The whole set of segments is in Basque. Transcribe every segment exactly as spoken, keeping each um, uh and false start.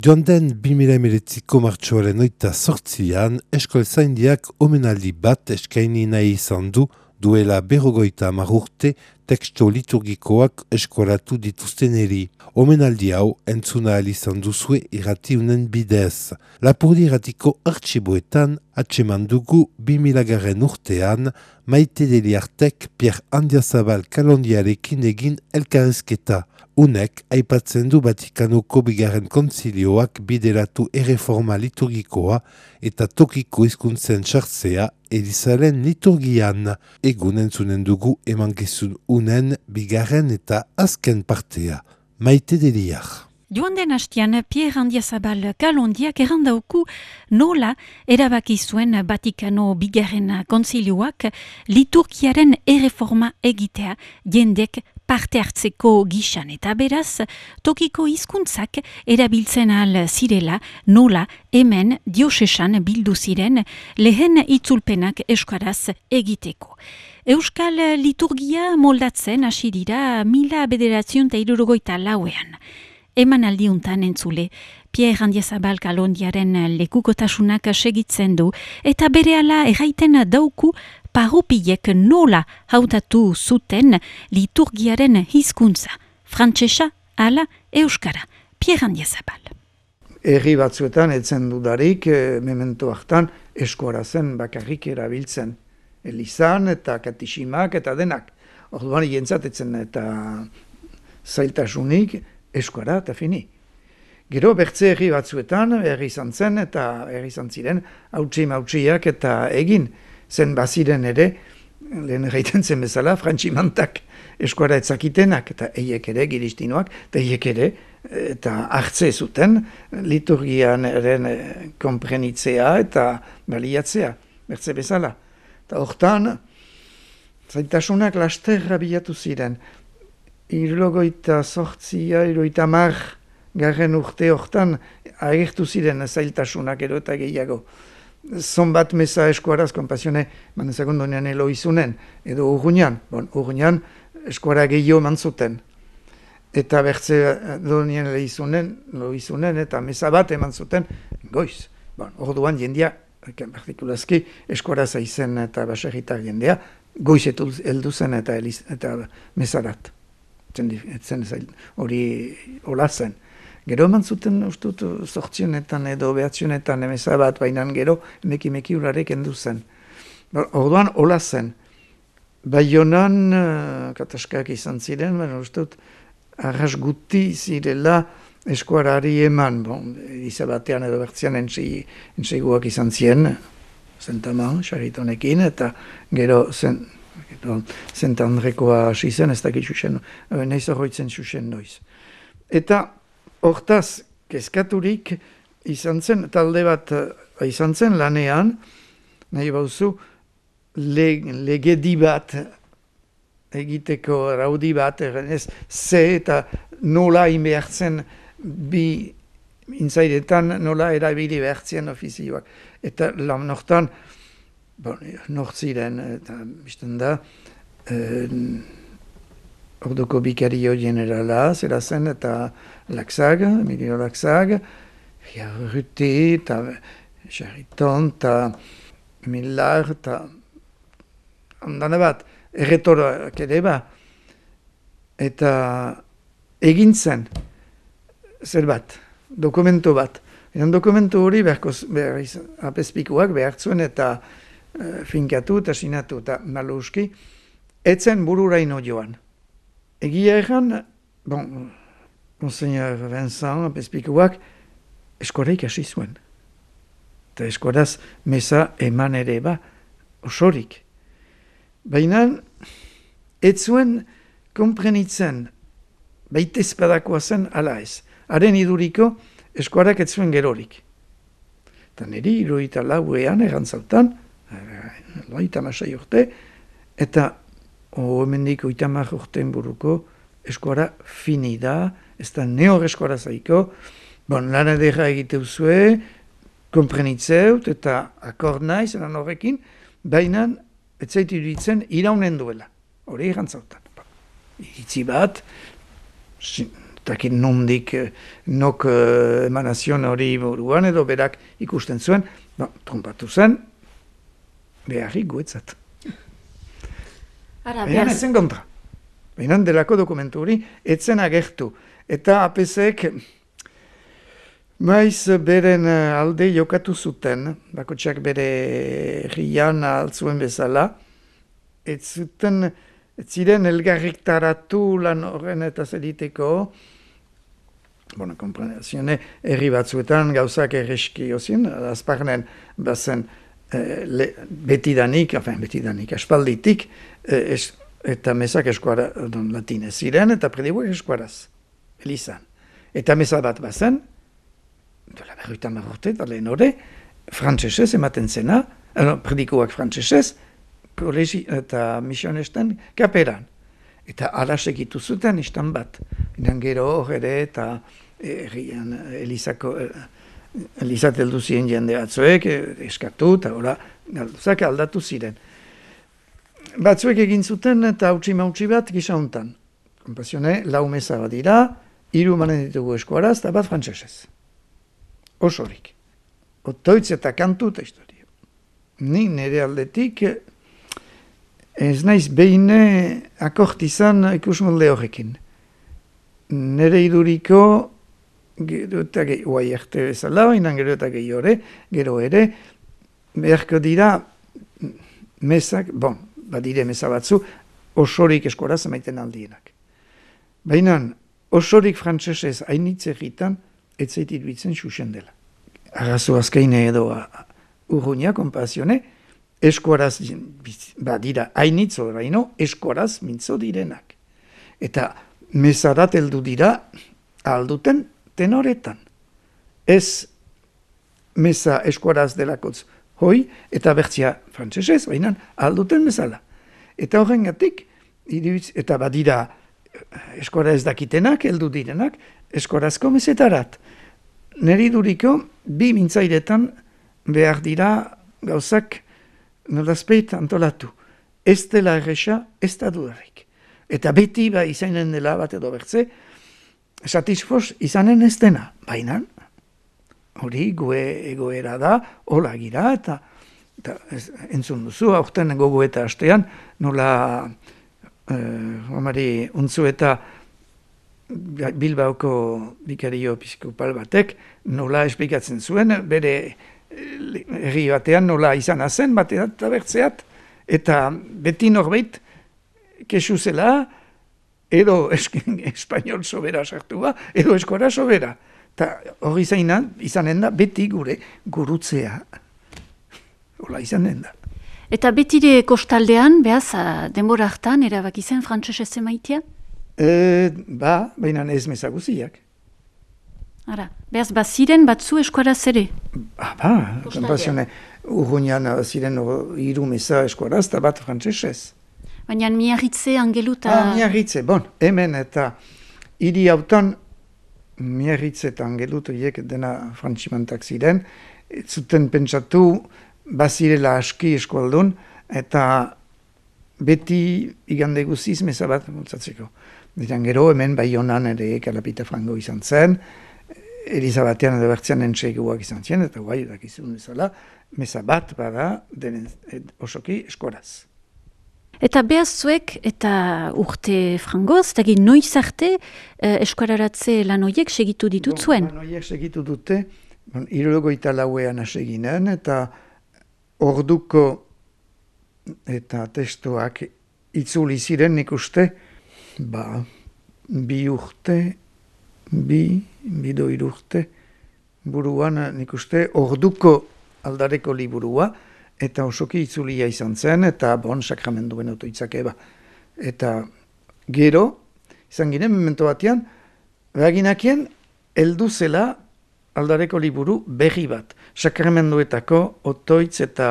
Joan den bi mila hemeretziko martxoaren oita sortzian, eskolzaindiak omenaldi bat eskaini nahi izan du duela berrogoita hamar urte teksto liturgikoak eskolatu dituzteneri. Omenaldi hau entzuna ahal izan duzue irratiunen bidez. Lapurdi irratiko artxiboetan atseman dugu bi milagaren urtean Maite Deliartek Pierre Andiazabal Kalondiarekin egin elkarrezketa. Unek aipatzen du Vatikanoko bigarren kontzilioak bideratu erreforma liturgikoa eta tokiko hizkuntzen sartzea Elizaren liturgian. Egun entzunen dugu emankizun unen bigarren eta azken partea. Maite Deliar. Joan den hastian, Pierre Andiazabal Kalondiak errandauku nola erabaki zuen Vatikano bigarren kontzilioak liturgiaren erreforma egitea jendek parte hartzeko gisan eta beraz, tokiko hizkuntzak erabiltzen ahal zirela nola hemen diosesan bildu ziren lehen itzulpenak euskaraz egiteko. Euskal liturgia moldatzen hasi dira mila bederatziun eta hirurogeita lauean. Eman aldiuntan entzule, Pierre Andiazabal Kalondiaren lekukotasunak segitzen du eta berehala erraiten dauku parropiek nola hautatu zuten liturgiaren hizkuntza, frantsesa ala euskara. Pierre Andiazabal. Herri batzuetan etzen dudarik, memento hartan eskora zen bakarrik erabiltzen. Elizan eta katisimak eta denak. Orduan jentzatetzen eta zailtasunik eskora eta fini. Gero bertze herri batzuetan herri izan zen eta herri izan ziren hautsi mautsiak eta egin zen baziren ere, lehen erraiten zen bezala, frantximantak eskora etzakitenak eta eiek ere giristinoak, eta eiek ere eta hartze zuten liturgian eren konprenitzea eta baliatzea, bertze bezala. Eta hortan, zaitasunak lasterra bilatu ziren. Hirurogeita sortzia, hirurogeita hamar garren urte hortan agertu ziren zailtasunak ero eta gehiago. Zonbat meza eskuaraz, konpasione, manen segundonean elo izunen, edo urruñan, bon, urruñan eskuara gehiago mantzuten. Eta bertze donien ele izunen, lo izunen, eta meza bat eman zuten, goiz. Bon, orduan jendia, partikulazki, eskuara zaizen eta baserritar jendea, goiz heldu zen eta, eta mezarat. Etzen hori hola zen. Gero eman zuten ustut zortzionetan edo behatzionetan emeza bat, baina gero emeki meki urarek endu zen. Orduan hola zen. Baionan uh, kataskak izan ziren, baina ustut arras guti zirela eskuarari eman. Bon, izabatean edo bertzian entseguak izan ziren, zentaman, saritonekin, eta gero zen... Zent Andrekoa hasi zen, ez dakit xuxen, nahiz horretzen xuxen noiz. Eta hortaz, kezkaturik izan zen, talde bat izan zen lanean, nahi bauzu, legedi bat egiteko raudi bat, ez ze eta nola inbehartzen bi intzairetan, nola erabili behartzen ofizioak. Eta lan nortan, bon, nortziren, eta bizten da, eh, orduko bikario generala, zera zen, eta Laxag, Emilio Laxag, Ruti, eta Chariton, eta Millar, eta ondane bat, erretorak ere ba, eta egin zen, zer bat, dokumento bat. Eran dokumentu hori beharko, behar, apespikuak behartzuen eta finkatu eta sinatu eta maluski, etzen bururaino joan. Egia egan, bon, Monseigneur Vincent, apespikuak, eskoreik hasi zuen. Eta eskoraz meza eman ere ba, osorik. Baina, ez zuen konprenitzen, baitezpadakoa zen ala ez. Haren iduriko, eskorak ez zuen gerorik. Eta niri, hirurogeita lauean, erantzautan, loita masai urte, eta hemendik oita hamar urteen buruko eskuara fini da, ez da neor eskuara zaiko, bon, lan edera egiteu zue, konprenitzeut eta akord naiz, eran horrekin, baina ez zaitu iruditzen iraunen duela, hori erantzautan. Iritzi bat, dakit nondik, nok emanazion hori buruan, edo berak ikusten zuen, no, trompatu zen, beharrik guetzat. Baina etzen kontra. Baina delako dokumentu hori, etzen agertu. Eta A P C-ek maiz beren alde jokatu zuten, bakotxak bere rian altzuen bezala, ez zuten, ez ziren elgarrik taratu lan horren eta zeriteko, bona, komprenazione, herri batzuetan gauzak erreski ozien, azparnen bazen eh, le, betidanik, afen, betidanik, aspalditik, eh, es, eta mesak eskuara, don, latinez ziren, eta predibuak eskuaraz, elizan. Eta mesa bat bazen, dola berruitan marrorte, eta lehen hori, frantzesez ematen zena, eh, predikuak frantzesez, kolegi eta misionesten kaperan. Eta ala segitu zuten istan bat. Inan gero hor ere eta errian Elizako, Elizat heldu ziren jende batzuek, eskatu eta hola galduzak aldatu ziren. Batzuek egin zuten eta hautsi mautsi bat gisa hontan. Kompasione, lau meza bat dira, hiru manen ditugu eskuaraz eta bat frantsesez. Osorik. Otoitz eta kantu eta historio. Ni nire aldetik ez naiz behin akort izan ikusmolde horrekin. Nere iduriko, gero eta gehi, oai erte bezala, inan gero eta gehi hori, gero ere, beharko dira mesak, bon, badire mesa batzu, osorik eskoraz emaiten aldienak. Baina, osorik frantsesez hainitz egitan, ez zait iruditzen xuxen dela. Arrazo azkaine edo urruña, konpazione, eskuaraz, badira, hainitz oraino, eskuaraz mintzo direnak. Eta mesarat heldu dira, alduten tenoretan. Ez mesa eskuaraz delakotz hoi, eta bertzia frantsesez, baina alduten mesala. Eta horrengatik, eta badira eskuara ez dakitenak, heldu direnak, eskuarazko mesetarat. Neri duriko, bi mintzairetan behar dira gauzak nolazpeit antolatu. Ez dela erresa, ez da dudarik. Eta beti ba izanen dela bat edo bertze, satisfos izanen ez dena. Baina, hori gue egoera da, hola gira, eta, eta ez, entzun duzu, aurten gogo eta hastean, nola eh, omari untzu eta Bilbaoko bikario episkopal batek nola esplikatzen zuen, bere herri batean nola izan zen, batean eta bertzeat, eta beti norbait kesu zela, edo espainol sobera sartu ba, edo eskora sobera. Eta hori izanen da beti gure gurutzea. Hola izanen da. Eta betire kostaldean, behaz, denbora hartan, erabaki zen frantsesez emaitia? E, ba, baina ez mezaguziak. Ara, behaz, ba, ziren batzu eskuaraz ere? Ah, ba, konpazione, urruñan ziren hiru meza eskuaraz eta bat frantsesez. Baina Miarritze, Angelu eta... Ah, Miarritze, bon, hemen eta hiri hautan Miarritze eta Angelu horiek dena frantzimantak ziren, zuten pentsatu bazirela aski eskualdun, eta beti igande guziz meza bat multzatzeko. Diran gero hemen Baionan ere Kalapita Frango izan zen, Elizabatean edo bertzean entseguak izan zen, eta guai dakizun bezala, meza bat bada denen osoki eskoraz. Eta behaz zuek, eta urte frangoz, eta egin noiz arte eh, eskoraratze lan horiek segitu ditut zuen? Lan horiek segitu dute, bon, hirurogeita lauean aseginen, eta orduko eta testuak itzuli ziren nik uste, ba, bi urte, bi, bido irurte, buruan nik uste, orduko aldareko liburua, eta osoki itzulia izan zen, eta bon, sakramenduen otoitzak eba. Eta gero, izan ginen, memento batean, behaginakien, heldu zela aldareko liburu berri bat. Sakramenduetako otoitz eta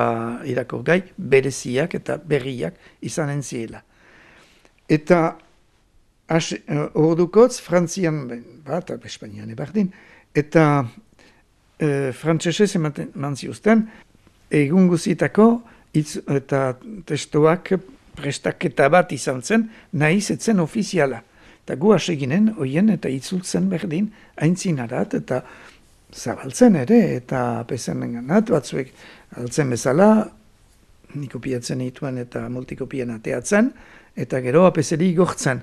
irakurgai bereziak eta berriak izanen ziela. Eta as, ordukotz, Frantzian, bat, Espainian ebardin, eta e, frantsesez eman ziuzten, egun guzitako itz, eta testuak prestaketa bat izan zen, nahiz etzen ofiziala. Eta gu hasi ginen, oien eta itzultzen berdin, aintzinarat eta zabaltzen ere, eta pezen ganat, batzuek altzen bezala, nik kopiatzen dituen eta multikopien ateatzen, eta gero apeseri igortzen.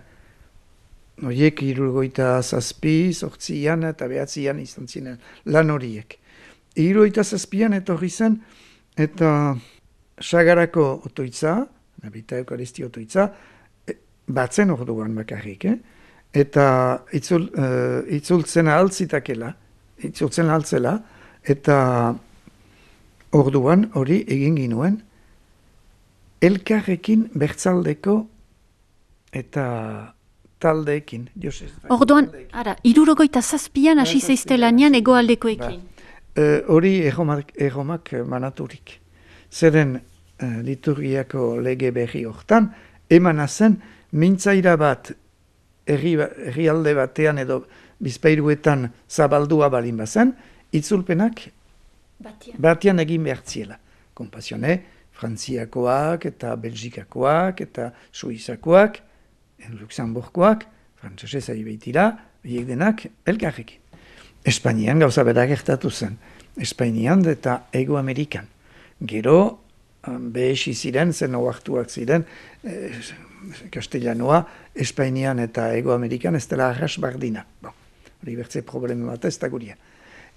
Horiek hirurogeita zazpi, zortzian eta behatzian izan ziren lan horiek. Hirurogeita zazpian etorri zen, eta Sagarako otoitza, nabita Eukaristia otoitza, batzen orduan bakarrik, eh? Eta itzul, uh, itzultzen ahaltzitakela, itzultzen ahaltzela, eta orduan hori egin ginuen, elkarrekin bertzaldeko eta taldeekin. Orduan, ara, hirurogeita zazpian hasi zeizte lanean egoaldekoekin. Hori ba, erromak, erromak manaturik. Zeren uh, liturgiako lege berri hortan, emana zen mintzaira bat herrialde batean edo bizpairuetan zabaldua balin bazen, itzulpenak Batian. Batian egin behartziela. Kompasione, Frantziakoak eta Belgikakoak eta Suizakoak, Luxemburgoak, frantsesez ari baitira, hiek denak elkarrekin. Espainian gauza bera gertatu zen. Espainian eta Ego Amerikan. Gero, behesi ziren, zen oartuak ziren, eh, Castellanoa, Espainian eta Ego Amerikan ez dela arras bardina. Bon, hori bertze problema bat ez da guria.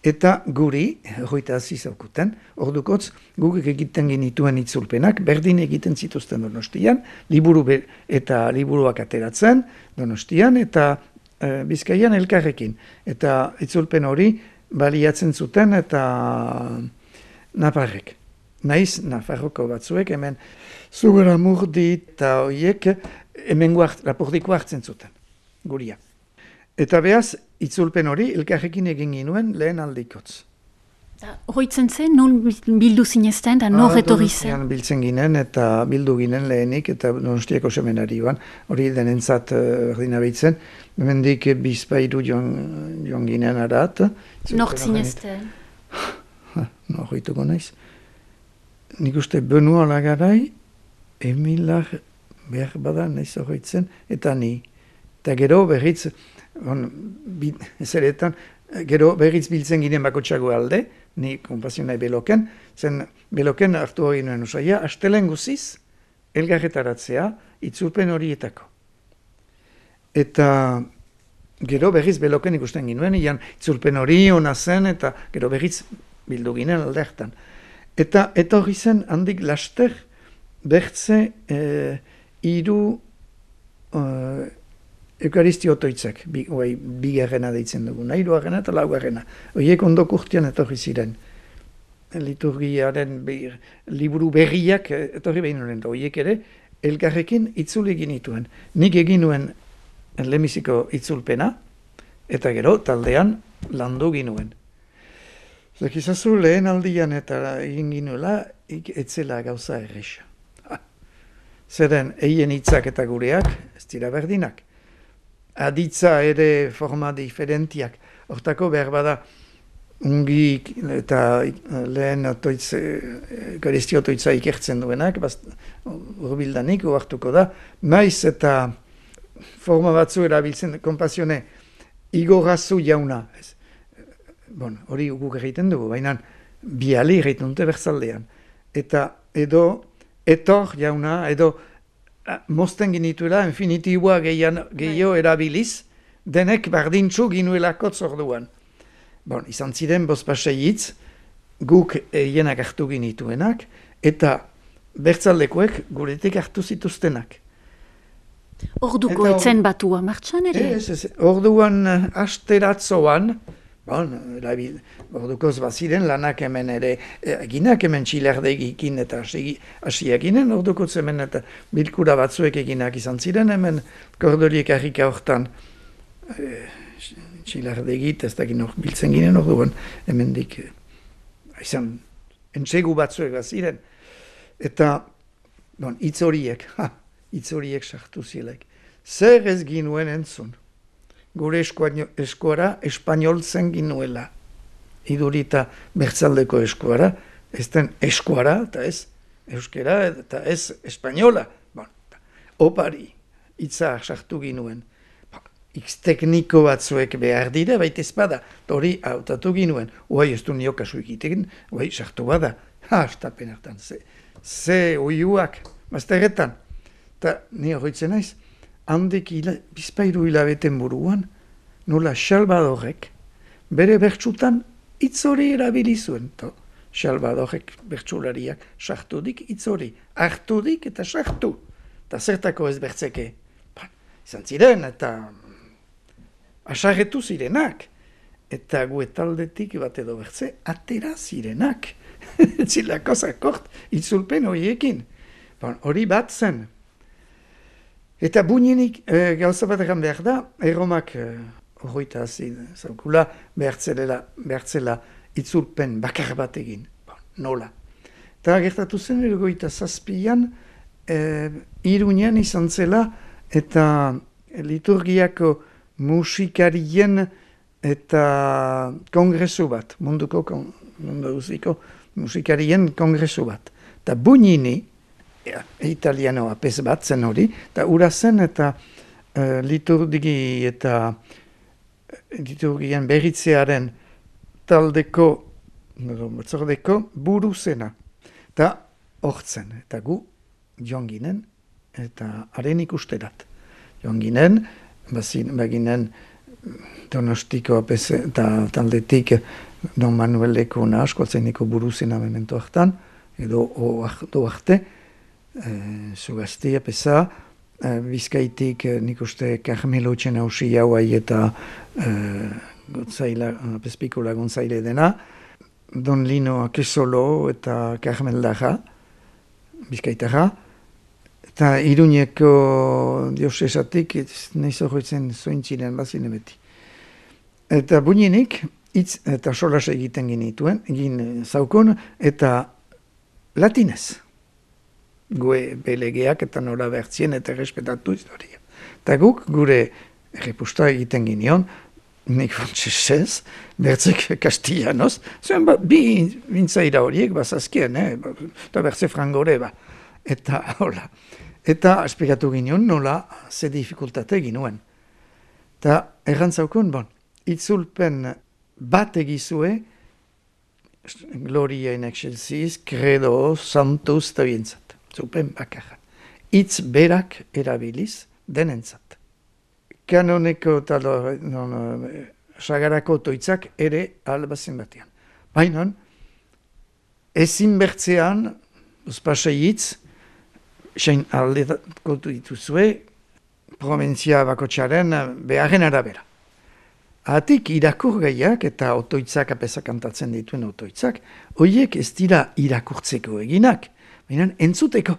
Eta guri, hogeita aziz aukuten, ordukotz, guk egiten genituen itzulpenak, berdin egiten zituzten Donostian, liburu be, eta liburuak ateratzen Donostian, eta e, Bizkaian elkarrekin. Eta itzulpen hori baliatzen zuten eta Naparrek. Naiz, Nafarroko batzuek, hemen Zugaramurdi eta horiek hemen guart, lapordiko hartzen zuten, guria. Eta behaz, itzulpen hori elkarrekin egin ginuen lehen aldikotz. Horritzen zen, non bildu zinezten, da nor etorri zen? Biltzen ginen eta bildu ginen lehenik eta Donostiako seminari ban. Hori denentzat berdina behitzen. Hemendik bizpairu joan, joan ginen arat. Nor zinezten? Nor horituko naiz. Nik uste Benua Lagarai, Emilar behar badan naiz horritzen, eta ni. Eta gero berriz, on, bi, zeretan, gero berriz biltzen ginen bakotxago alde, ni konpasionai beloken, zen beloken hartu hori nuen usaia, astelen guziz, elgarretaratzea, itzulpen horietako. Eta gero berriz beloken ikusten ginuen, ian itzulpen hori hona zen, eta gero berriz bildu ginen alde hartan. Eta eta hori zen handik laster, bertze eh, iru eh, Eukaristio otoitzak, bi, oai, bigarrena deitzen duguna, hirugarrena eta laugarrena. Horiek ondok urtean etorri ziren. Liturgiaren bir, liburu berriak etorri behin horren, horiek ere, elkarrekin itzul egin nituen. Nik egin nuen lemiziko itzulpena, eta gero taldean landu ginuen. Zekizazu lehen aldian eta egin ginuela, etzela gauza erresa. Zeren, eien hitzak eta gureak, ez dira berdinak. Aditza ere forma diferentiak. Hortako behar bada ungi eta lehen Eukaristio otoitza ikertzen duenak, urbildanik uartuko da, maiz eta forma batzu erabiltzen, konpasione, igorazu jauna. Bon, hori guk egiten dugu, baina biali egiten dute berzaldean. Eta edo etor jauna, edo mozten ginituela, infinitiboa gehiago erabiliz, denek bardintzu ginuelako zorduan. Bon, izan ziren bozpaseiitz, guk hienak hartu ginituenak, eta bertzaldekoek guretik hartu zituztenak. Orduko eta, etzen batua martxan ere? Ez, ez, orduan asteratzoan, bon, ordukoz baziren lanak hemen ere, eginak hemen txilardegikin eta hasiak ginen, ordukoz hemen eta bilkura batzuek eginak izan ziren, hemen kordoliek harrika hortan e, txilardegit, ez dakit hor biltzen ginen orduan, hemen dik, izan, entsegu batzuek baziren, eta, bon, hitz horiek, ha, hitz horiek sartu zilek, zer ez ginuen entzun? Gure eskuara espanoltzen ginuela. Idurita bertzaldeko eskuara, ez den eskuara, eta ez euskera, eta ez espainola. Bon, opari, hitza sartu ginuen. X tekniko batzuek behar dira, baita ezpada, hori hautatu ginuen, uai ez du nio kasu egiten, uai sartu bada, ha, estapen hartan, ze, ze uiuak, mazterretan, eta ni horretzen naiz, handik hila, bizpairu hilabeten buruan, nola Salvadorek, bere bertsutan hitz hori erabili zuen, to, Salvadorek bertsulariak sartudik hitz hori, hartudik eta sartu, eta zertako ez bertzeke, izan ziren, eta asarretu zirenak, eta guetaldetik bat edo bertze, atera zirenak. Zilako zakort, itzulpen horiekin. Bon, hori bat zen. Eta buinenik, e, gauza bat egan behar da, erromak horreita e, hasi zaukula, behartzela itzulpen bakar bat egin. Bon, nola. Eta gertatu zen, ergoita zazpian, e, Iruñan izan zela, eta liturgiako musikarien eta kongresu bat, munduko kon, munduziko musikarien kongresu bat. Eta Bugnini, ja, italianoa pez bat zen hori, eta ura zen eta uh, liturgi eta liturgien berritzearen taldeko, batzordeko buru zena. Eta hortzen, eta gu joan ginen, eta haren ikusterat. Joan ginen, baginen Donostiko eta taldetik Don Manuel Lekona askoltzeniko buruzena memento hartan, edo oartu arte, e, zugaztia pesa, e, Bizkaitik e, nik uste Carmelo Txenausi hauai eta e, gotzaila, pespikola gontzaile dena, Don Lino Akesolo eta Carmel Daja, Bizkaitarra, eta Iruñeko diosesatik, nahiz horretzen zointziren bazine beti. Eta buinenik, hitz eta solas egiten ginituen, egin zaukon, eta latinez. Gue belegeak eta nola bertzien eta respetatu historia. Eta guk gure errepusta egiten ginion, nik frantzesez, bertzek kastillanoz, zuen ba, bi bintzaira horiek bazazkien, eh? Eta bertze frangore ba. Eta hola. Eta esplikatu ginen nola ze dificultate ginuen. Eta errantzaukun, bon, itzulpen bat egizue, Gloria in excelsis, credo, santus, eta bientzat. Zupen bakarra. Itz berak erabiliz denentzat. Kanoneko talo, non, sagarako toitzak ere albazen batean. Baina, ezin bertzean, uzpasei hitz, sein aldeko dituzue, provintzia bakotxaren beharren arabera. Atik irakur gaiak eta otoitzak apesa kantatzen dituen otoitzak, horiek ez dira irakurtzeko eginak, baina entzuteko.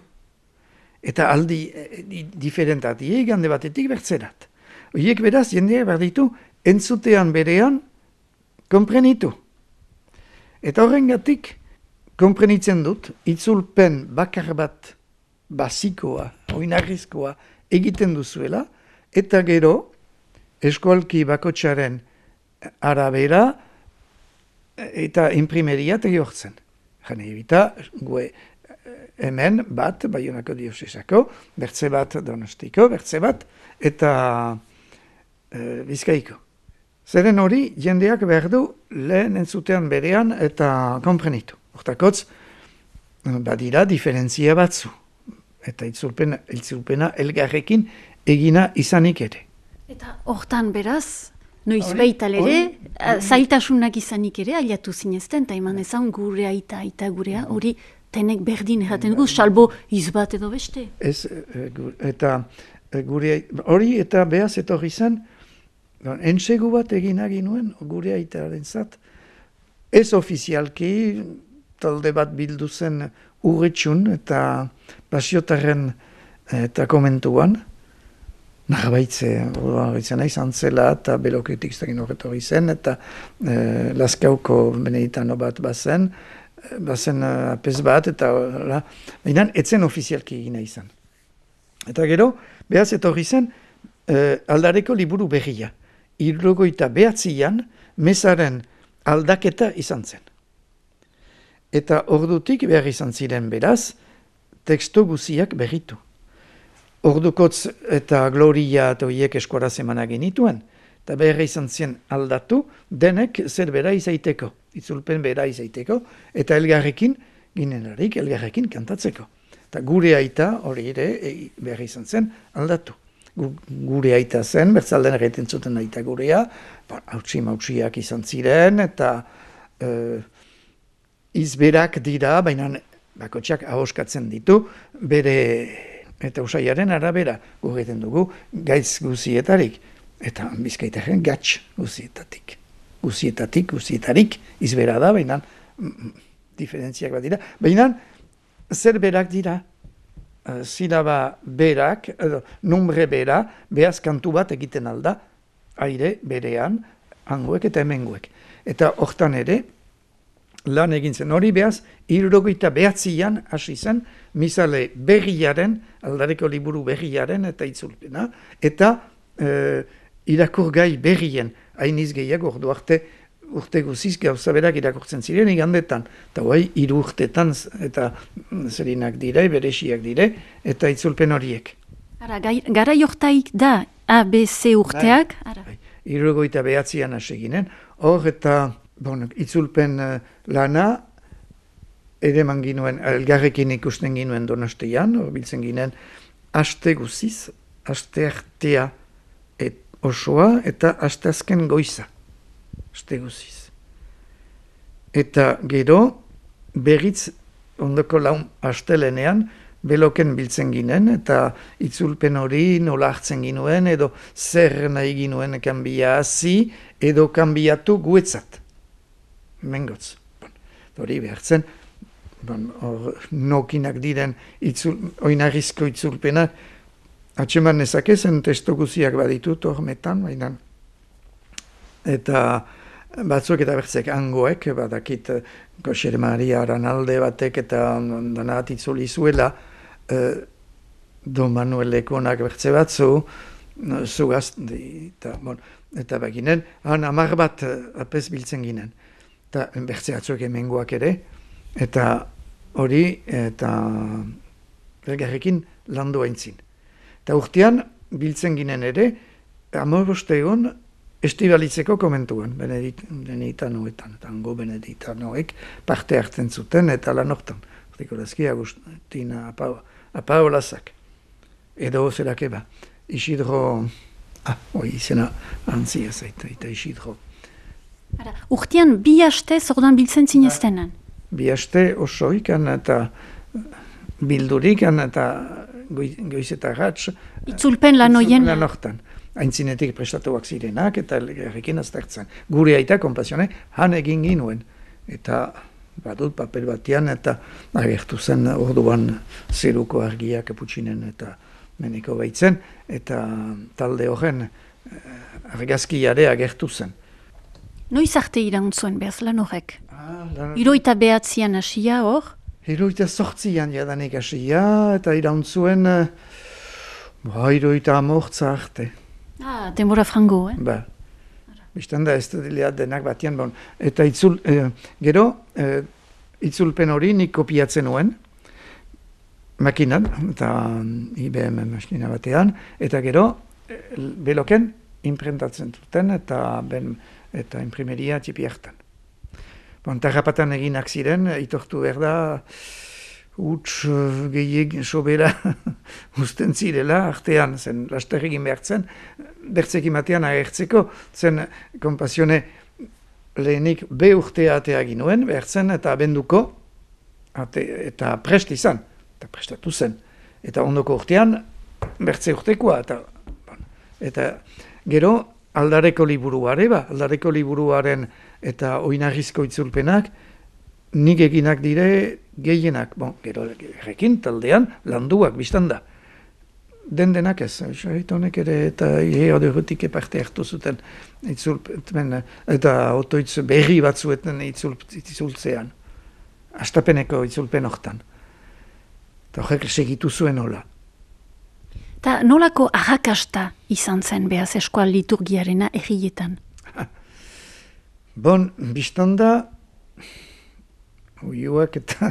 Eta aldi e, diferentatie gande batetik bertzerat. Horiek beraz jendea behar ditu entzutean berean konprenitu. Eta horrengatik konprenitzen dut, itzulpen bakar bat basikoa, oinarrizkoa egiten duzuela, eta gero, eskualki bakotxaren arabera eta imprimeria tegortzen. Jane ebita, gue hemen bat, Baionako diosesako, bertze bat Donostiko, bertze bat, eta e, Bizkaiko. Zeren hori, jendeak behar du lehen entzutean berean eta konprenitu. Hortakotz, badira diferentzia batzu. Eta itzulpena, itzulpena elgarrekin egina izanik ere. Eta hortan beraz, noiz baital ere, zailtasunak izanik ere, aliatu zinezten, eta eman ezan gure aita, aita gurea, hori tenek berdin erraten gu, salbo izbat edo beste. Ez, eta gure hori eta behaz etorri zen, entsegu bat egin aginuen gure aitaren zat, ez ofizialki, talde bat bildu zen urretxun eta pasiotarren eta komentuan, narbaitze, horretzen nahi zantzela eta beloketik zagin horretu zen, eta e, Laskauko beneditano bat bazen, bazen apez bat, eta baina etzen ofizialki egina izan. Eta gero, behaz etorri zen, e, aldareko liburu berria. Irrogoita behatzian, mezaren aldaketa izan zen. Eta ordutik behar izan ziren beraz, teksto guziak berritu. ordukotz eta gloria eta horiek eskuara zemana genituen, eta behar izan zien aldatu, denek zer bera izaiteko, itzulpen bera izaiteko, eta elgarrekin, ginelarik, elgarrekin kantatzeko. Eta gure aita hori ere e, behar izan zen aldatu. Gure aita zen, bertzalden erreten zuten aita gurea, hautsi mautsiak izan ziren, eta e, izberak dira, baina bakotxak ahoskatzen ditu, bere eta usaiaren arabera gugeten dugu gaitz guzietarik, eta bizkaitaren gatz guzietatik. Guzietatik, guzietarik izbera da, baina mm, diferentziak bat dira, baina zer berak dira, uh, silaba berak, edo, numbre bera, behaz kantu bat egiten alda, aire berean, hangoek eta hemengoek. Eta hortan ere, lan egin zen hori behaz, hirurogeita behatzian hasi zen, misale berriaren, aldareko liburu berriaren eta itzulpena, eta uh, irakurgai berrien, hainiz gehiago ordu arte, urte guziz gauza berak irakurtzen ziren igandetan, eta guai hiru urtetan eta zerinak dire, beresiak dire, eta itzulpen horiek. Ara, gara jortaik da A B C urteak? Hirurogeita behatzian hasi ginen, hor eta bon, itzulpen uh, lana ere man ginuen, elgarrekin ikusten ginuen Donostian, hor biltzen ginen aste guziz, aste artea et osoa eta aste azken goiza. Aste guziz. Eta gero, berriz ondoko laun astelenean, beloken biltzen ginen, eta itzulpen hori nola hartzen ginuen, edo zer nahi ginuen kanbia hazi, edo kanbiatu guetzat. Mengotz. Bon, hori behartzen, bon, or, nokinak diren itzul, oinarrizko itzulpenak, atseman nezakezen testo guziak baditut hormetan, baina eta batzuk eta bertzek hangoek, badakit Goxer Maria Aranalde batek eta danat itzuli zuela, eh, Don Manuel Lekonak bertze batzu, zugaz, eta, bon, eta baginen, han amar bat apez biltzen ginen, eta bertze batzuk hemengoak ere, eta hori, eta elgarrekin landu haintzin. Eta urtean, biltzen ginen ere, amoroste egon, estibalitzeko komentuan, beneditanoetan, tango beneditanoek parte hartzen zuten eta lan hortan. Hortikorazki Agustina Apaolazak. Edo zerak eba. Isidro, ah, oi izena antzia zaita, eta Isidro. Ara, urtean bi haste zordan biltzen zineztenan? Bi haste osoikan eta bildurikan eta goizetarratz. Itzulpen lan oien? Lan hortan. Aintzinetik prestatuak zirenak eta elgarrekin aztertzen. Gure aita konpasione han egin ginuen. Eta badut papel batean eta agertu zen orduan zeruko argia kaputxinen eta meneko baitzen. Eta talde horren argazkiare agertu zen. Noiz arte irantzuen behaz lan horrek? Ah, lan... Hiroita behatzian hasia hor? Hiroita sortzian jadanik hasia eta irantzuen ba, hiroita amortza arte. Ah, denbora frango, eh? Ba, biztan da ez dut denak batian, bon. Eta itzul, eh, gero, eh, itzulpen hori nik kopiatzen nuen, makinan, eta I B M maskina batean, eta gero, eh, beloken, imprentatzen duten, eta ben, eta imprimeria txipi hartan. Bon, tarrapatan eginak ziren, itortu behar da, huts gehiek sobera usten zirela, artean zen laster egin behartzen, bertzekin batean agertzeko, zen konpasione lehenik be urtea atea ginuen, behartzen eta abenduko, ate, eta prest izan, eta prestatu zen. Eta ondoko urtean, bertze urtekoa, eta, bon, eta gero aldareko liburuare, ba, aldareko liburuaren eta oinarrizko itzulpenak, nik eginak dire gehienak, bon, gero errekin taldean landuak biztan da. Den denak ez, honek ere eta eoderutik parte hartu zuten itzulpen, eta otoitz berri batzuetan itzultzean. Astapeneko itzulpen hortan. Eta horrek segitu zuen hola. Ta nolako arrakasta izan zen behaz eskual liturgiarena errietan? Bon, biztan da, uiuak eta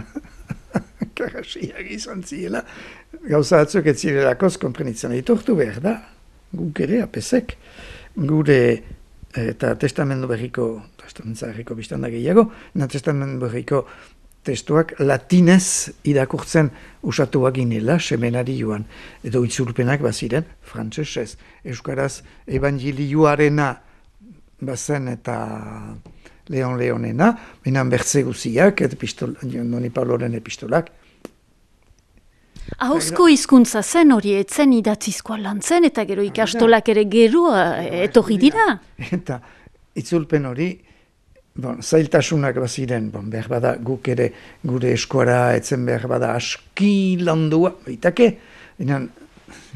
karasiak izan ziela, gauza batzuk ez zirelakoz konprenitzen ditortu behar da, guk ere, apesek, gure eta testamendu berriko, testamendu berriko biztanda gehiago, na testamendu berriko testuak latinez irakurtzen usatuak ginela, semenari joan, edo itzulpenak baziren, frantsesez, euskaraz evangelioarena bazen eta Leon Leonena, minan bertze guziak, eta pistol, Doni Pauloren epistolak. Ahozko hizkuntza zen hori etzen idatzizkoa lan zen, eta gero ikastolak ere gero etorri dira. Eta itzulpen hori, bon, zailtasunak baziren, bon, behar bada guk ere gure eskuara etzen behar bada aski landua, baitake, minan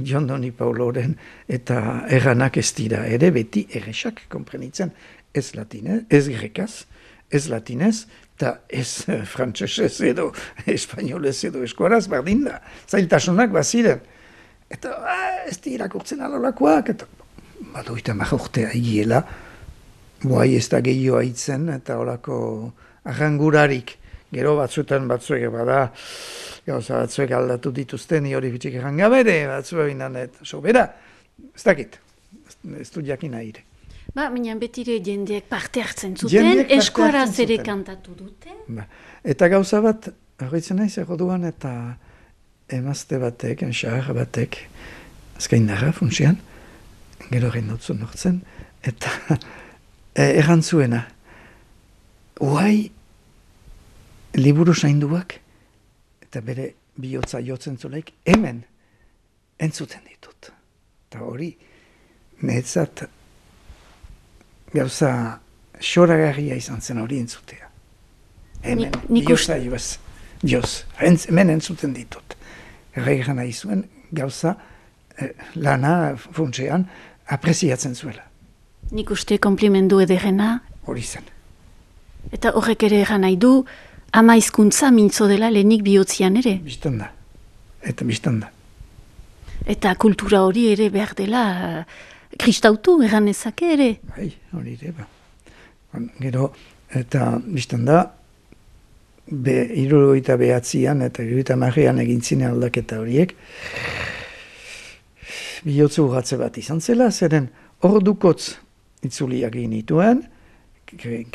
Jon Doni Pauloren eta erranak ez dira ere beti erresak konprenitzen. Ez latinez, ez grekaz, ez latinez, eta ez frantsesez edo espainolez edo eskuaraz, bardin da. Zailtasunak baziren. Eta ah, ez di irakurtzen alolakoak, eta badu eta marrortea egiela, boai ez da gehioa hitzen, eta olako arrangurarik. Gero batzuetan batzuek bada, gauza batzuek aldatu dituzten, ni hori bitxik errangabere, batzuek inanet, sobera, ez dakit, ez du jakin ahire. Ba, minan betire jendeak parte hartzen zuten, eskuaraz ere kantatu dute. Ba. Eta gauza bat, horretzen nahi zer duan, eta emazte batek, enxar batek, azkain narra funtsian, gero egin dutzen nortzen, eta errantzuena, uai liburu sainduak, eta bere bihotza jotzen zulaik, hemen entzuten ditut. Eta hori, netzat, gauza xoragarria izan zen hori entzutea. Hemen, bihotza joz, joz, hemen entzuten ditut. Erregan nahi zuen, gauza eh, lana funtsean apreziatzen zuela. Nik uste komplimendu ederrena. Hori zen. Eta horrek ere egan nahi du, ama hizkuntza mintzo dela lehenik bihotzian ere. Bistan da. Eta bistan da. Eta kultura hori ere behar dela kristautu egan ezake ere. Bai, hori ere, ba. Gero, eta bistan da, be, irurogeita behatzian eta irurogeita marrean egin zine aldaketa horiek, bihotzu urratze bat izan zela, zeren ordukotz itzuliak egin dituen,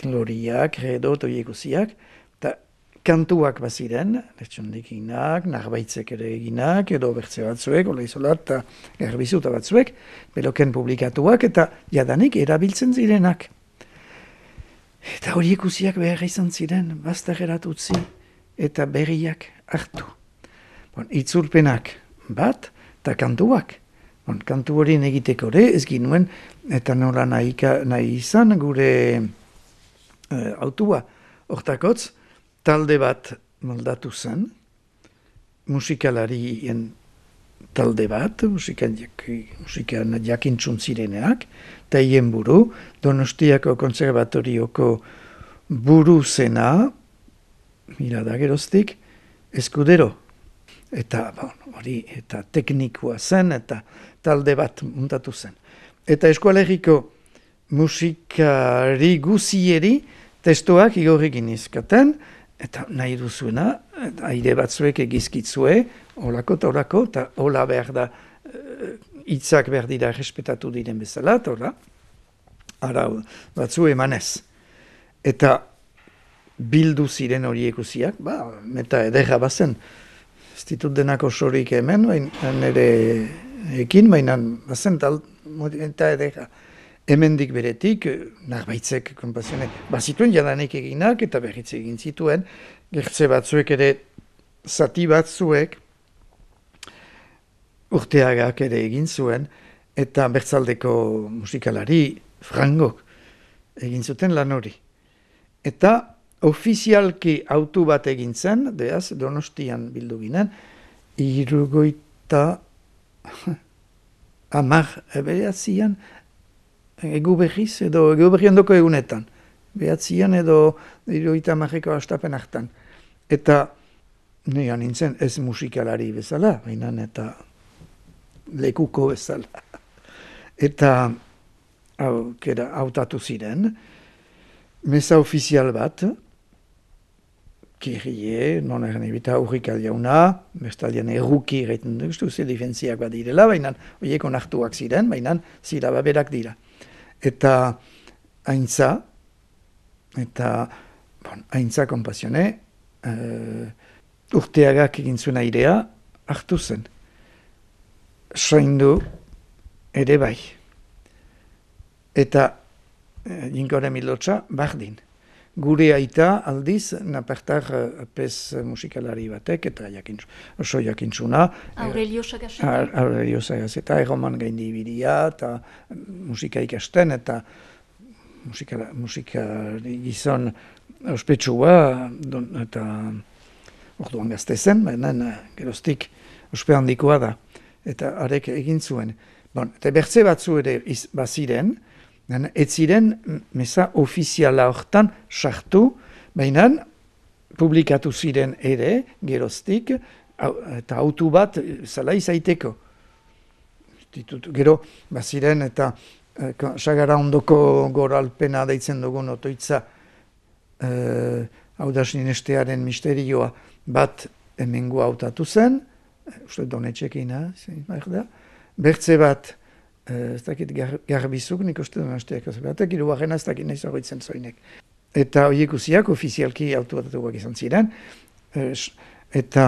gloria, credo, toieguziak, eta kantuak baziren, lertxondikinak, narbaitzek ere eginak, edo bertze batzuek, ola izolat, eta garbizuta batzuek, beloken publikatuak, eta jadanik erabiltzen zirenak. Eta horiek uziak behar izan ziren, bastar eratutzi, eta berriak hartu. Bon, itzulpenak bat, eta kantuak. Bon, kantu horien egiteko ere, ez ginuen, eta nola nahi, nahi izan gure uh, autua. Hortakotz, talde bat moldatu zen, musikalarien talde bat, musikan, musikan jakintzun zireneak, eta hien buru, Donostiako konservatorioko buru zena, mira da geroztik, Eskudero. Eta bon, hori, eta teknikoa zen, eta talde bat muntatu zen. Eta eskualeriko musikari guzieri testoak igorrekin izkaten, eta nahi duzuena, aire batzuek egizkitzue, olako eta olako, eta hola behar da, hitzak behar dira respetatu diren bezala, eta hola, ara batzu emanez. Eta bildu ziren horiek guziak, ba, meta ederra bazen, ez ditut denako sorik hemen, baina nire ekin, baina bazen tal, eta edera. Hemendik beretik, narbaitzek, konpazionek, bazituen jadanek eginak, eta berriz egin zituen, gertze batzuek ere, zati batzuek, urteagak ere egin zuen, eta bertzaldeko musikalari, frangok, egin zuten lan hori. Eta ofizialki autu bat egin zen, beaz, Donostian bildu ginen, irugoita amar behatzian, egu berriz, edo egu berri ondoko egunetan. Behatzian edo irugoita amarreko astapen hartan. Eta nian nintzen ez musikalari bezala, baina eta lekuko bezala. Eta autatu ziren, meza ofizial bat, Kirie, non eren ebita aurrika jauna, bestaldean erruki egiten duk, ze difentziak bat direla, baina horiek onartuak ziren, baina zilaba berak dira. Eta haintza, eta bon, haintza konpasione, uh, urteagak egin zuen airea hartu zen. Soindu ere bai. Eta uh, jinkore milotxa bardin. Gure aita aldiz, napartar uh, pez musikalari batek, eta jakintzu, oso jakintzuna. Aurelio Sagaseta. Aurelio Sagaseta, erroman gaindi ibiria, eta musika ikasten, eta musika, musika gizon ospetsua, eta orduan gazte zen, baina geroztik ospe handikoa da, eta arek egin zuen. Bon, eta bertze batzu ere baziren, ez ziren meza ofiziala hortan sartu, baina publikatu ziren ere, geroztik, eta autu bat zala izaiteko. Gero, baziren eta sagara ondoko goralpena deitzen dugun otoitza eh, haudasninestearen misterioa bat hemengo hautatu zen, uste donetxekina, bertze bat, ez dakit garbizuk, nik uste duen hasteak batek, irugarrena ez dakit nahiz horretzen zoinek. Eta horiek usiak ofizialki autobatatuak izan ziren, eta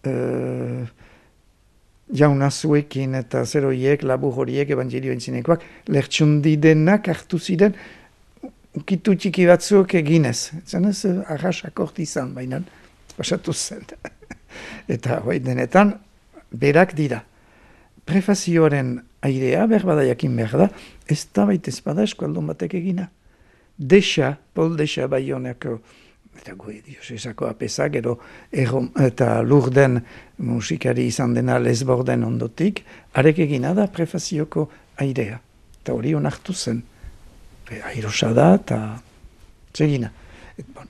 uh, jaunazuekin eta zer horiek, labur horiek, evangelio entzinekoak, lertxundi denak hartu ziren, ukitu txiki batzuk eginez. Zenez, arras akort izan, baina pasatu zen. Eta hoi denetan, berak dira. Prefazioaren airea, berbada jakin behar da, ez da baita ezpada eskualdun batek egina. Dexa, Pol Dexa Baionako, eta goe diosesako apesa, gero errom, eta lurden musikari izan dena lesborden ondotik, arek egina da prefazioko airea. Eta hori onartu zen. Airosa da, eta txegina. Et, bon.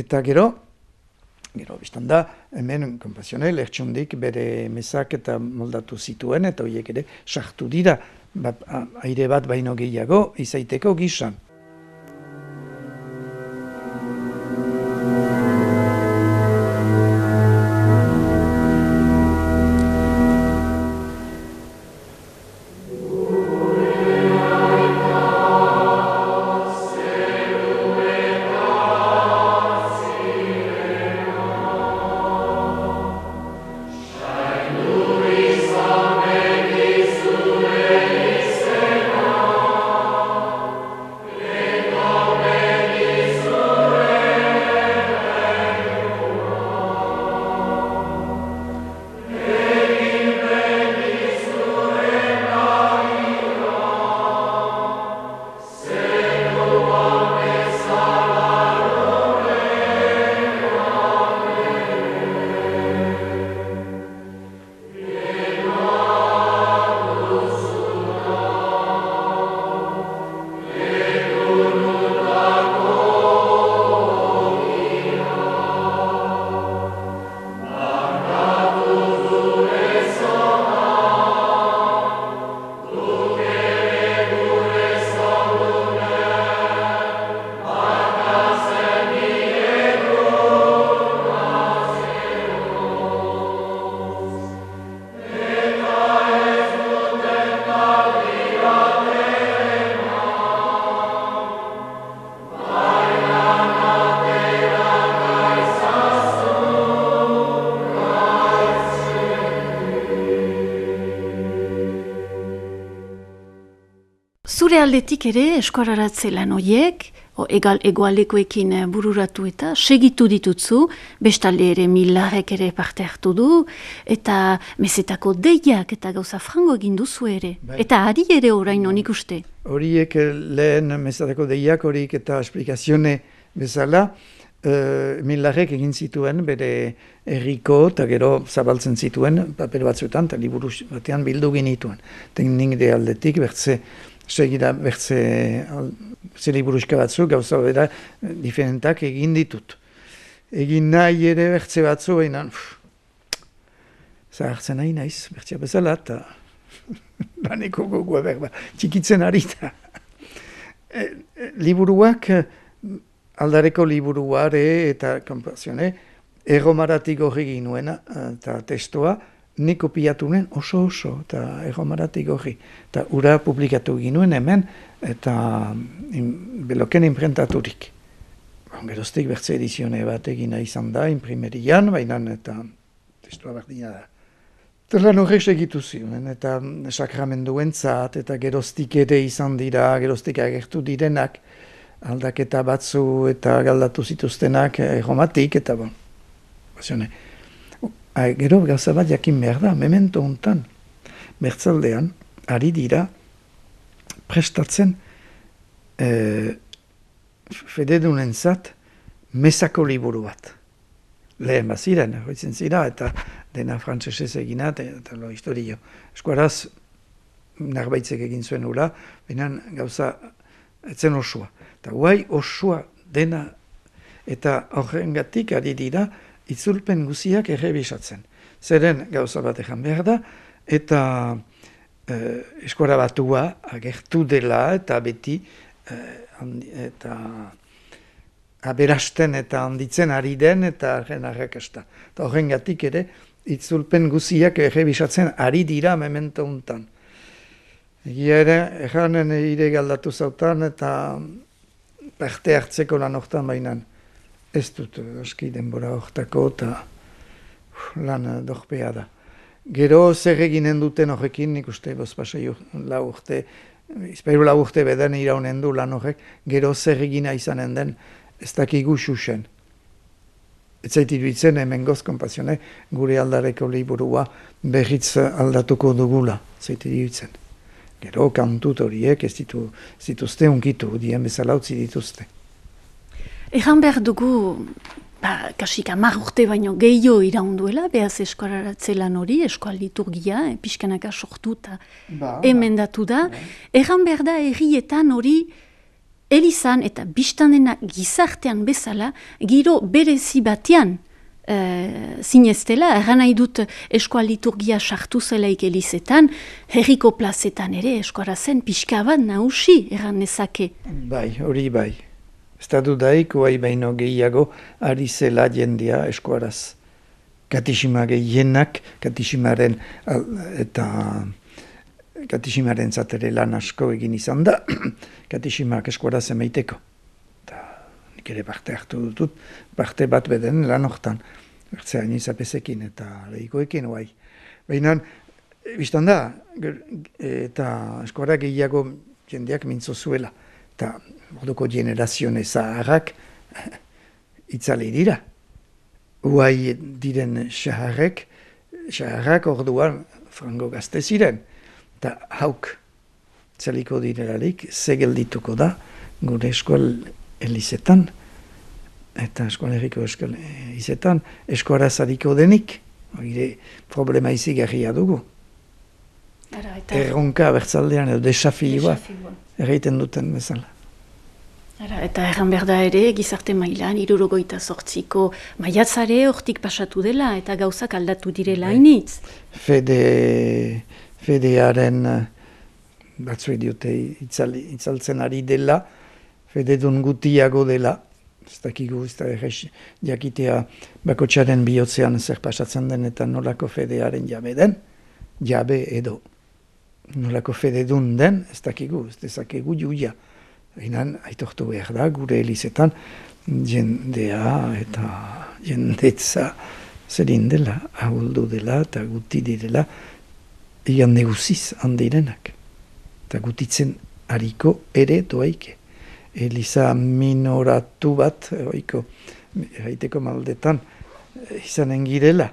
Eta gero, Gero, biztan da, hemen, konpasione, lertxundik bere mesak eta moldatu zituen, eta horiek ere sartu dira, ba, aire bat baino gehiago, izaiteko gizan. Zure aldetik ere eskoraratze lan horiek, egal egoaldekoekin bururatu eta segitu ditutzu, bestalde ere Milarrek ere parte hartu du, eta mesetako deiak eta gauza frango egin duzu ere. Bai. Eta ari ere orain honik uste. Horiek lehen mesetako deiak horiek eta esplikazione bezala, Uh, Milarrek egin zituen bere herriko eta gero zabaltzen zituen paper batzuetan eta liburu batean bildu genituen. Teknik de aldetik bertze segira bertze ze liburuska batzuk gauza bera diferentak egin ditut. Egin nahi ere bertze batzu behinan zahartzen nahi naiz bertzea bezala eta baneko gogoa berba txikitzen harita. E, e, liburuak aldareko liburuare eta konpazione, erromaratik horri ginuena, eta testoa, nik kopiatu nuen oso oso, eta erromaratik horri. Eta ura publikatu ginuen hemen, eta in, beloken imprentaturik. Geroztik bertze edizione bat egina izan da, imprimerian, baina eta testoa berdina da. Eta lan horrek segitu ziren, eta sakramenduentzat, eta geroztik ere izan dira, geroztik agertu direnak, aldaketa batzu eta galdatu zituztenak erromatik, eta bon. Bazione, gero gauza bat jakin behar da, memento hontan, bertzaldean, ari dira, prestatzen e, fededunentzat mesako liburu bat. Lehen baziren, hoitzen zira, eta dena frantsesez egina, eta lo historio. Eskuaraz, narbaitzek egin zuen ura, baina gauza, etzen osua. Eta guai osua dena, eta horrengatik ari dira, itzulpen guziak errebisatzen. Zeren gauza bat ejan behar da, eta eh, eskuara batua agertu dela, eta beti, eh, handi, eta aberasten eta handitzen ari den, eta arren arrakasta. Eta horrengatik ere, itzulpen guziak errebisatzen ari dira memento hontan. Egia ere, erranen ire galdatu zautan, eta parte hartzeko lan hortan bainan. Ez dut, aski denbora hortako, eta lan dorpea da. Gero zer eginen duten horrekin, nik uste bozpasei lau urte, izpairu lau urte beden iraunen du lan horrek, gero zer egina izanen den, ez dakigu xuxen. Ez zaitit bitzen, hemen goz konpazione, gure aldareko liburua berriz aldatuko dugula, zaitit bitzen. Gero kantut horiek ez ditu, zituzte unkitu, dien bezala utzi dituzte. Egan behar dugu, ba, kasik hamar urte baino gehiago iraunduela, behaz eskoraratzelan hori, eskoal liturgia, eh, pixkanaka sortu eta ba, emendatu da. Ba. Egan behar da herrietan hori, elizan eta biztanena gizartean bezala, giro berezi batean uh, zineztela, erran nahi dut eskoal liturgia sartu zelaik elizetan, herriko plazetan ere eskora zen pixka bat nausi erran nezake. Bai, hori bai. Ez da dudaik, oai baino gehiago, ari zela jendea eskuaraz. Katixima gehienak, katiximaren eta katiximaren zatere lan asko egin izan da, katiximak eskuaraz emaiteko. Eta nik ere parte hartu dutut, parte bat beden lan hortan. Bertzean izapezekin eta lehikoekin oai. Baina, biztan da, eta eskuara gehiago jendeak mintzo zuela. Eta orduko generazione zaharrak itzali dira. Uai diren xaharrek, xaharrak orduan frango gazte ziren. Eta hauk txaliko direlarik, zegeldituko da gure eskual elizetan, eta eskual herriko eskual elizetan, eskuara zariko denik, hori problema izigarria dugu. Ara, eta... Erronka bertzaldean edo desafioa erraiten duten bezala. Ara, eta erran berda ere, gizarte mailan, hirurogeita zortziko maiatzare hortik pasatu dela, eta gauzak aldatu direla hainitz. Fede, fedearen batzue diote itzal, itzaltzen ari dela, fededun gutiago dela, ez dakigu, ez da errez jakitea bakotxaren bihotzean zer pasatzen den eta nolako fedearen jabe den, jabe edo. Nolako fededun den, ez dakigu, ez dezakegu juia. Einan, aitortu behar da, gure elizetan, jendea eta jendetza zerin dela, ahuldu dela eta guti direla, egan neguziz handirenak. Eta gutitzen hariko ere doaike. Eliza minoratu bat, oiko, haiteko maldetan, izanen girela.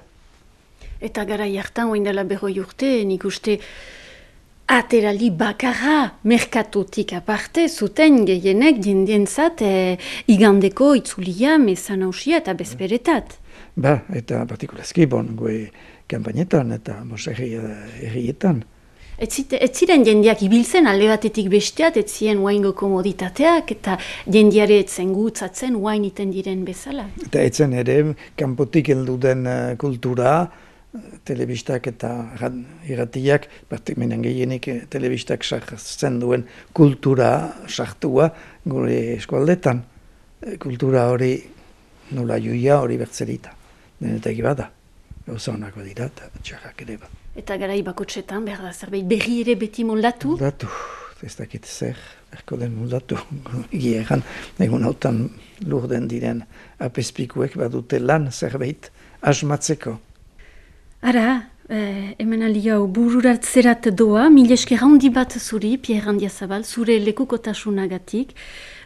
Eta gara jartan, oin dela berroi urte, nik uste aterali bakarra merkatutik aparte, zuten gehienek jendientzat e, igandeko itzulia, mezan hausia eta bezperetat. Ba, eta partikulazki bon, goe kampainetan eta mos errietan. Ez ziren jendeak ibiltzen alde batetik besteat, ez ziren oaingo komoditateak, eta jendeare etzen gutzatzen oain iten diren bezala. Eta etzen ere, kanpotik heldu den kultura, telebistak eta irratiak, menen gehienik telebistak sartzen duen kultura sartua gure eskualdetan. kultura hori nola juia hori bertzerita. Denetak bada, gauza honako dira eta txarrak ere bat. Eta garai bakotxetan, behar da, zerbait berri ere beti moldatu? Moldatu, ez dakit zer, erko den moldatu. Gieran, egun hautan lurden diren apespikuek badute lan zerbait asmatzeko. Ara, eh, hemen aldi hau bururatzerat doa, mil esker handi bat zuri, Pierre Andiazabal, zure lekukotasunagatik.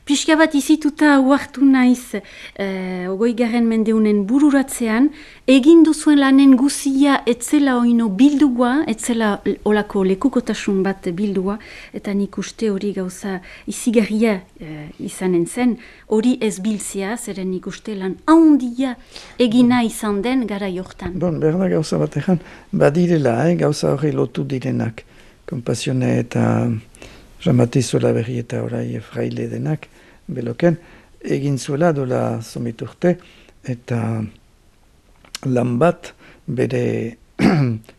Pixka bat izituta uartu naiz, eh, ogoi garen mendeunen bururatzean, egin duzuen lanen guzia etzela oino bildua, etzela olako lekukotasun bat bildua, eta nik uste hori gauza izigarria eh, izanen zen, hori ez biltzea, zeren nik uste lan handia egina izan den gara jortan. Bon, berda gauza bat egan, badirela, eh, gauza hori lotu direnak, kompasione eta Jamatizuela berri eta orai fraile denak, beloken, egin zuela dola somiturte, eta lan bat bere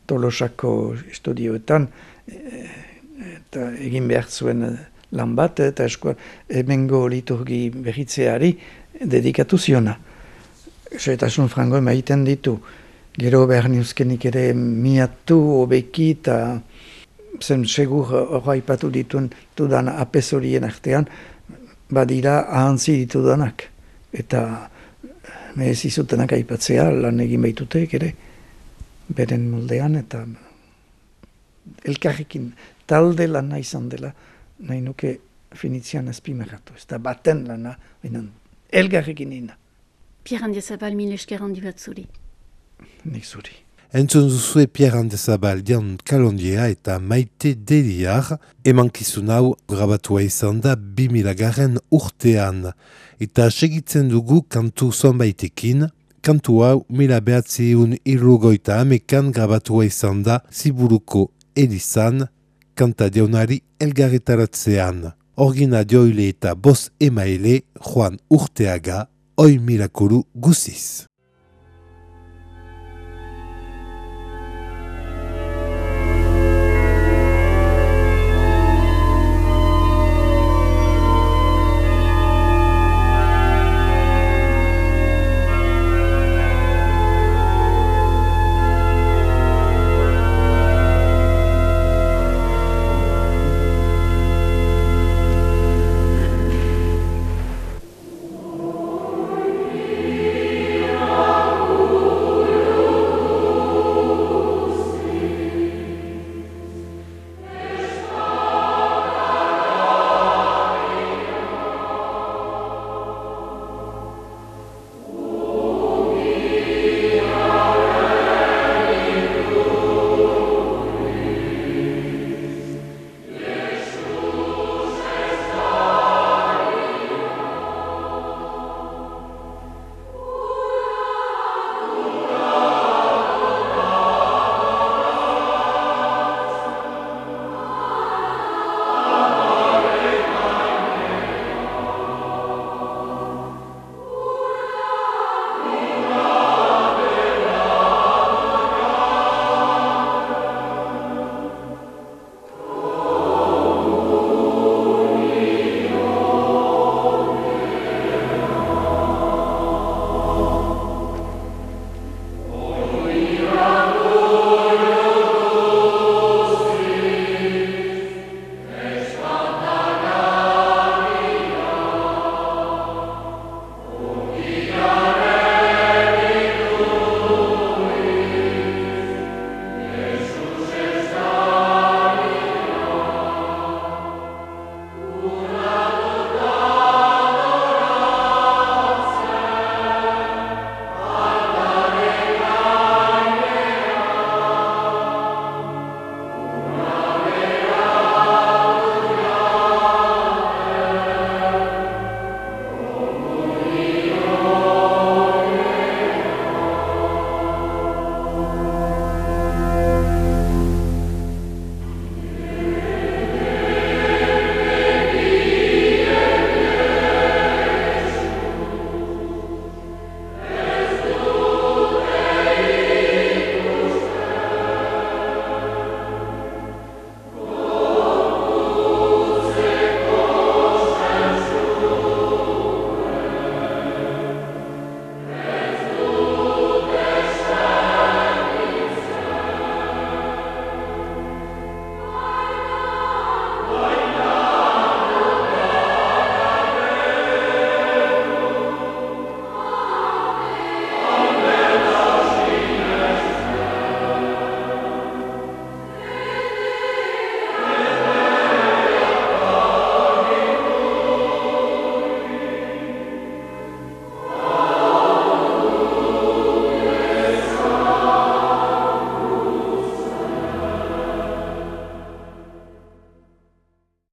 Tolosako estudioetan, eta egin behar zuen lan bat, eta eskoa emengo liturgi berritzeari dedikatu ziona. Soetasun frango emaiten ditu, gero behar niuzkenik ere miatu, obeki, eta zen segur horra ipatu dituen dudan apezorien artean, badira ahantzi ditudanak. Eta mehez izutenak aipatzea lan egin baitutek ere, beren moldean, eta elkarrekin talde lana izan dela, nahi nuke finitzian azpimarratu. Ez da baten lana, benen elkarrekin ina. Pierre Andiazabal, mil esker handi bat zuri. Nik zuri. Entzun duzue Pierre Andiazabal Dian Kalondia eta Maite Deliar, emankizun hau grabatua izan da bi milagaren urtean. Eta segitzen dugu kantu zonbaitekin, kantu hau mila behatziun irrugoita amekan grabatua izan da Ziburuko Elizan, kanta deunari elgarretaratzean. Orgina dioile eta boz emaile Juan Urteaga, oi mirakuru guziz. Oh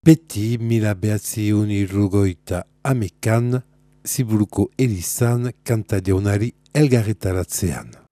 beti mila behatziun irrugoita amekan, Ziburuko elizan kanta jaunari elgarretaratzean.